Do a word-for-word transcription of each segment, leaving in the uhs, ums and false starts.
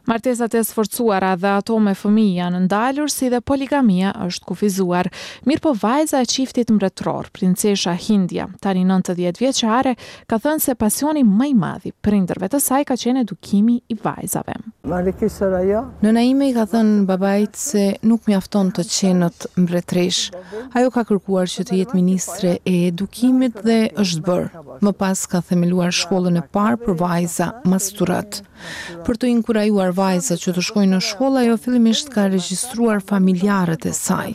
Martesat e sforcuara dhe ato me fëmijë janë ndalur, si dhe poligamia është kufizuar. Mirëpo vajza e çiftit mbretëror, princesha Hindia, tani nëntëdhjetë vjeçare, ka thënë se pasioni më i madh i prindërve të saj ka qenë edukimi i vajzave. Nëna ime i ka thënë babait se nuk mjafton të qenët mbretëresh. Ajo ka kërkuar që të jetë ministre e edukimit dhe është bërë. Më pas ka themeluar shkollën e parë për vajza, Masturat. Për të inkurajuar vajzat që të shkojnë në shkollë, ajo fillimisht ka regjistruar familjarët e saj.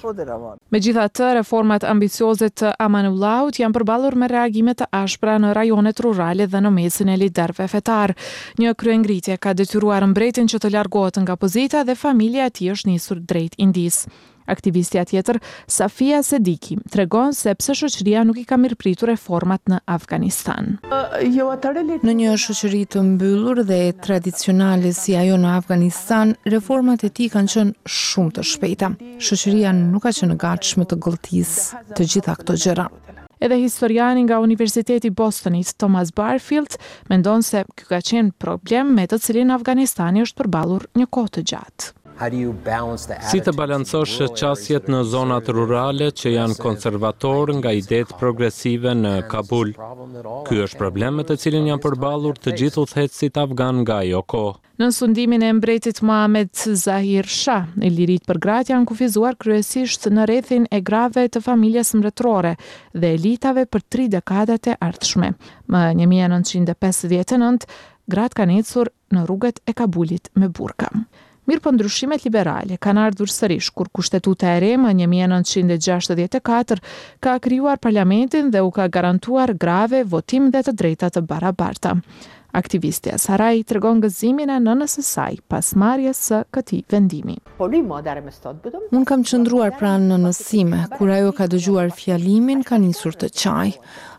Megjithatë, reformat ambicioze të Amanullahut janë përballur me reagime të ashpra në rajonet rurale dhe në mesin e liderëve fetar. Një kryengritje ka detyruar mbretin që të largohet nga pozita dhe familja e tij është nisur drejt Indisë. Aktivistja tjetër, Safia Sediki, tregon se pse shoqëria nuk i ka mirëpritur reformat në Afganistan. Në një shoqëri të mbyllur dhe tradicionale si ajo në Afganistan, reformat e tij kanë qenë shumë të shpejta. Shoqëria nuk ka qenë gatshme të gëlltisë të gjitha këto gjëra. Edhe historiani nga Universiteti i Bostonit, Thomas Barfield, mendon se ky ka qenë problem me të cilin Afganistani është përballur një kohë të gjatë. Si të balancosh qasjet në zonat rurale që janë konservator nga idetë progresive në Kabul? Ky është problem me të cilin janë përballur të gjithë udhëheqësit afgan nga ajo kohë. Në sundimin e mbretit Mohamed Zahir Shah, liritë për gratë janë kufizuar kryesisht në rrethin e grave të familjes mbretërore dhe elitave për tri dekadat e ardhshme. Më një mijë e nëntëqind e pesëdhjetë e nëntë, gratë kanë ecur në rrugët e Kabulit me burka. Mirë po ndryshimet liberale kanë ardhur sërish kur kushtetuta e re më një mijë e nëntëqind e gjashtëdhjetë e katër ka krijuar parlamentin dhe u ka garantuar grave votim dhe të drejta të barabarta. Aktivistja Saraj tregon gëzimin e nënës së saj pas marrjes së këtij vendimi. Unë kam qëndruar pranë nënës sime, kur ajo ka dëgjuar fjalimin, ka nisur të qaj.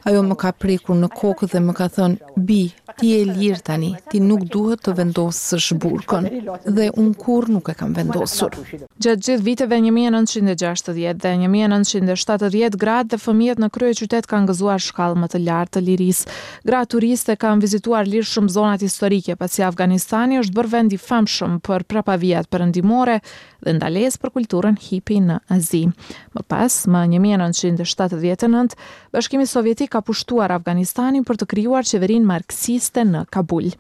Ajo më ka prekur në kokë dhe më ka thënë, Bi, ti je e lirë tani, ti nuk duhet të vendosësh burkën. Dhe unë kurrë nuk e kam vendosur. Gjatë gjithë viteve një mijë e nëntëqind e gjashtëdhjetë dhe një mijë e nëntëqind e shtatëdhjetë, gratë dhe fëmijët në kryeqytet kanë gëzuar shkallë më të lartë të lirisë. Gratë turiste kanë vizituar lirshëm zonat historike, pasi Afganistani është bërë vend i famshëm për prapavijat perëndimore dhe ndalesë për kulturën hippie në Azi. Më pas, më një mijë e nëntëqind e shtatëdhjetë e nëntë, Bashkimi Sovjetik ka pushtuar Afganistanin për të krijuar qeverinë marksiste në Kabul.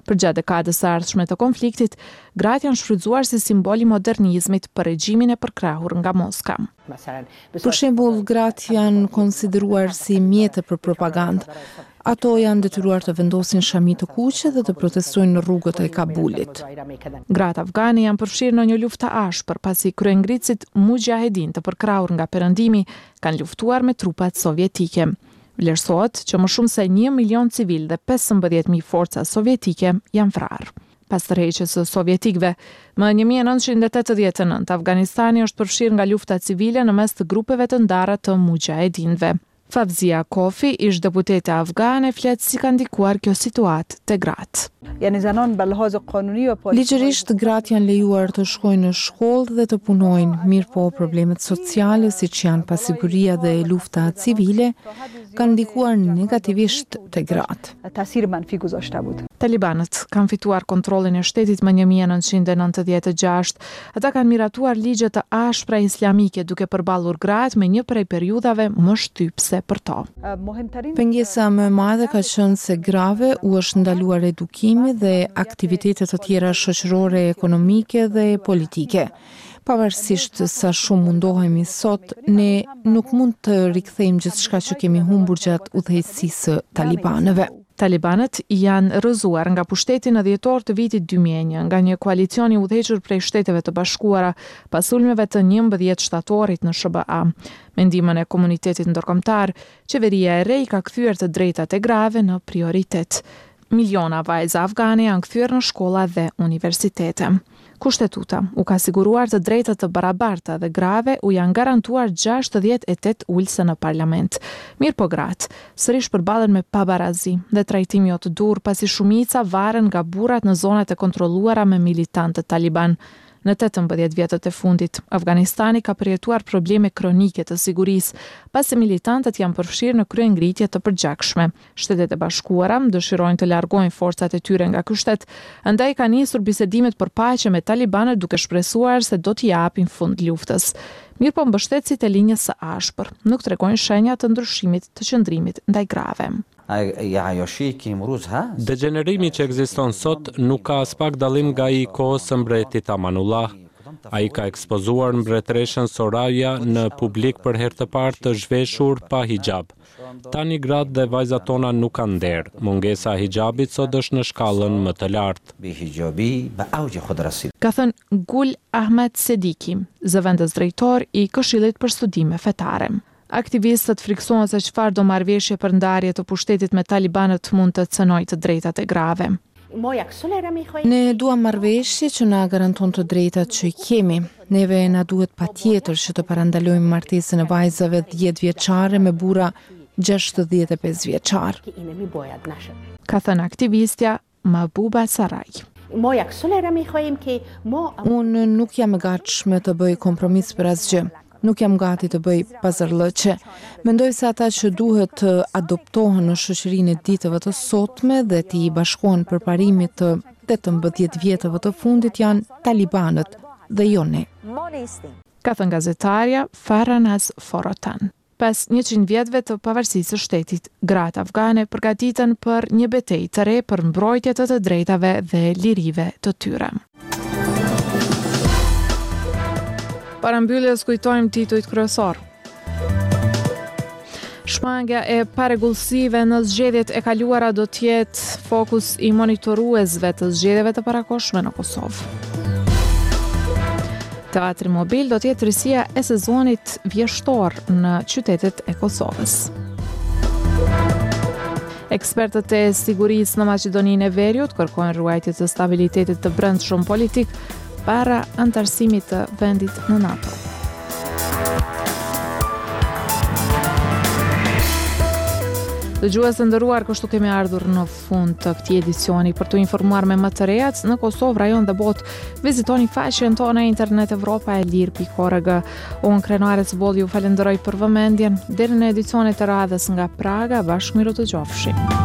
Përgjatë dekadës së ardhshme të konfliktit, gratë janë shfrytzuar si simbol i modernizmit për regjimin e përkrahur nga Moska. Për shembull, gratë janë konsideruar si mjete për propagandë. Ato janë detyruar të vendosin shami të kuqe dhe të protestojnë në rrugët e Kabulit. Gratë afgane janë përfshirë në një luftë të ashpër, pasi kryengritësit mujahedin të përkrahur nga Perëndimi kanë luftuar me trupat sovjetike. Vlerësohet që më shumë se një milion civil dhe pesëmbëdhjetë mijë forca sovjetike janë vrarë. Pas tërheqjes së sovjetikëve, më një mijë e nëntëqind e tetëdhjetë e nëntë, Afganistani është përfshirë nga lufta civile në mes të grupeve të ndara të mujahedinëve. Favzia Kofi, ish deputete afgane, flet si ka ndikuar kjo situatë te gratë. Ligjërisht, gratë janë lejuar të shkojnë në shkollë dhe të punojnë, mirë po problemet sociale, siç janë pasiguria dhe lufta civile, kanë ndikuar negativisht te gratë. Talibanët kanë fituar kontrollin e shtetit më një mijë e nëntëqind e nëntëdhjetë e gjashtë. Ata kanë miratuar ligje të ashpra islamike duke përballur gratë me një prej periudhave më shtypse për to. Pengesa më e madhe ka qenë se grave u është ndaluar edukimi dhe aktivitete të tjera shoqërore, ekonomike dhe politike. Pavarësisht sa shumë mundohemi sot, ne nuk mund të rikthejmë gjithçka që kemi humbur gjatë udhëheqësisë së talibanëve. Talibanët janë rrëzuar nga pushteti në dhjetor të vitit dy mijë e një nga një koalicion i udhëhequr prej Shteteve të Bashkuara pas sulmeve të njëmbëdhjetë shtatorit në S H B A. Me ndihmën e komunitetit ndërkombëtar, qeveria e re i ka kthyer të drejtat e grave në prioritet. Miliona vajza afgane janë kthyer në shkolla dhe universitete. Kushtetuta u ka siguruar të drejta të barabarta dhe grave u janë garantuar gjashtëdhjetë e tetë ulëse në parlament. Mirë po gratë, sërish përballen me pabarazi dhe trajtim jo të dur, pasi shumica varen nga burrat në zonat e kontrolluara me militantët taliban. Në tetëmbëdhjetë vjetët e fundit, Afganistani ka përjetuar probleme kronike të sigurisë, pasi militantët janë përfshirë në kryengritje të përgjakshme. Shtetet e Bashkuara dëshirojnë të largojnë forcat e tyre nga ky shtet, andaj kanë nisur bisedimet për paqe me talibanët duke shpresuar se do t'i japin fund luftës. Mirëpo mbështetësit e linjës së ashpër nuk tregojnë shenja të ndryshimit të qëndrimit ndaj grave. Degjenerimi që ekziston sot nuk ka aspak dallim nga i kohës së mbretit Amanullah. Ai ka ekspozuar mbretëreshën Soraya në publik për herë të parë të zhveshur pa hijab. Tani gratë dhe vajzat tona nuk kanë nder. Mungesa e hijabit sot është në shkallën më të lartë. Ka thënë Gul Ahmed Sediki, zëvendës drejtor i Këshillit për Studime Fetare. Aktivistët friksohen se çfarë do marrëveshje për ndarje të pushtetit me talibanët mund të cënojë të drejtat e grave. Ne duam marrëveshje që na garanton të drejtat që i kemi. Neve na duhet patjetër që të parandalojmë martesën e vajzave dhjetë vjeçare me burra gjashtëdhjetë e pesë vjeçar. Ka thënë aktivistja Mahbuba Saraj. Unë nuk jam e gatshme të bëj kompromis për asgjë. Nuk jam gati të bëj pazarllëqe. Mendoj se ata që duhet të adoptohen në shoqërinë e ditëve të sotme dhe t'i bashkohen përparimit të tetëmbëdhjetë vjetëve të fundit janë talibanët dhe jo ne. Ka thënë gazetarja Farahnaz Forotan. Pas njëqind vjetëve të pavarësisë së shtetit, gratë afgane përgatiten për një betejë të re për mbrojtje të të drejtave dhe lirive të tyre. Para mbylljes kujtojmë titujt kryesor. Shmangia e parregullsive në zgjedhjet e kaluara do të jetë fokus i monitoruesve të zgjedhjeve të parakohshme në Kosovë. Teatri mobil do të jetë risia e sezonit vjeshtor në qytetet e Kosovës. Ekspertët e sigurisë në Maqedoninë e Veriut kërkojnë ruajtje të stabilitetit të brendshëm politik para antarësimit të vendit në NATO. Dëgjues të nderuar, kështu kemi ardhur në fund të këtij edicioni. Për t'u informuar me më të rejat në Kosovë, rajon dhe botë, vizitoni faqen tonë e internet evropa e lirë pikë org. Unë Krenare Cbolli ju falenderoj për vëmendjen. Deri në edicionet e radhës nga Praga, bashkë mirë u dëgjofshim.